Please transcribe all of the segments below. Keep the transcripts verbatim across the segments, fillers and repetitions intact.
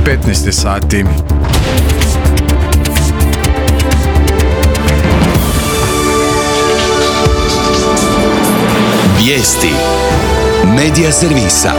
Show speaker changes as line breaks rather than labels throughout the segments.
petnaest sati.
Vijesti Medija servisa.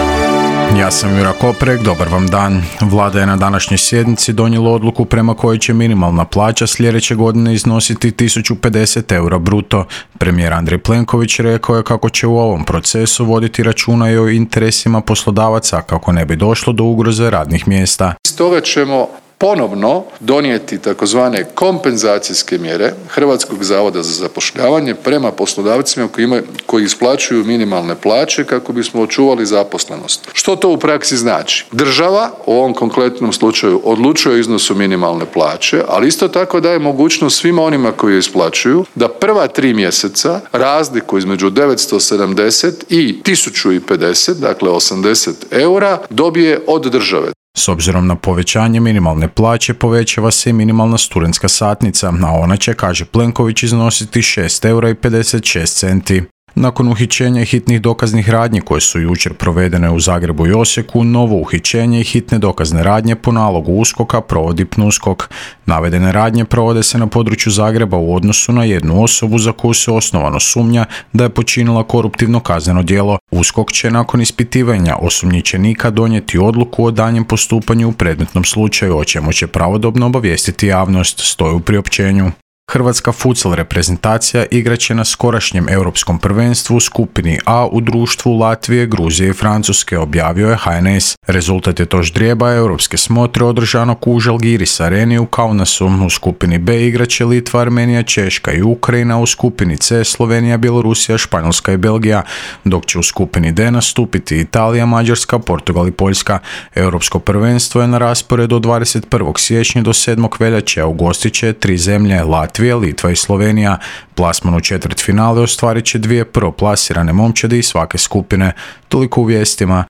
Ja sam Jura Koprek, dobar vam dan. Vlada je na današnjoj sjednici donijela odluku prema kojoj će minimalna plaća sljedeće godine iznositi tisuću pedeset eura bruto. Premijer Andrej Plenković rekao je kako će u ovom procesu voditi računa i o interesima poslodavaca kako ne bi došlo do ugroze radnih mjesta.
Stoga ćemo ponovno donijeti takozvane kompenzacijske mjere Hrvatskog zavoda za zapošljavanje prema poslodavcima koji imaju, koji isplaćuju minimalne plaće kako bismo očuvali zaposlenost. Što to u praksi znači? Država u ovom konkretnom slučaju odlučuje o iznosu minimalne plaće, ali isto tako daje mogućnost svima onima koji je isplaćuju da prva tri mjeseca razliku između devetsto sedamdeset i tisuću pedeset, dakle osamdeset eura, dobije od države.
S obzirom na povećanje minimalne plaće povećava se i minimalna studentska satnica, a ona će, kaže Plenković, iznositi šest eura i pedeset šest centi. Nakon uhićenja i hitnih dokaznih radnji koje su jučer provedene u Zagrebu i Osijeku, novo uhićenje i hitne dokazne radnje po nalogu USKOK-a provodi PNUSKOK. Navedene radnje provode se na području Zagreba u odnosu na jednu osobu za koju se osnovano sumnja da je počinila koruptivno kazneno djelo. USKOK će nakon ispitivanja osumnjičenika donijeti odluku o daljnjem postupanju u predmetnom slučaju, o čemu će pravodobno obavijestiti javnost, stoji u priopćenju. Hrvatska futsal reprezentacija igrat će na skorašnjem europskom prvenstvu u skupini A u društvu Latvije, Gruzije i Francuske, objavio je H N S. Rezultat je to ždrijeba europske smotre održanog u Žalgiris areni u Kaunasu. U skupini B igrat će Litva, Armenija, Češka i Ukrajina, u skupini C Slovenija, Bjelorusija, Španjolska i Belgija, dok će u skupini D nastupiti Italija, Mađarska, Portugal i Poljska. Europsko prvenstvo je na rasporedu od dvadeset prvog siječnja do sedmog veljače, a ugostit će tri zemlje, Latvija, Litva i Slovenija. Plasman u četvrtfinale ostvarit će dvije prvoplasirane momčadi iz svake skupine. Toliko u vijestima.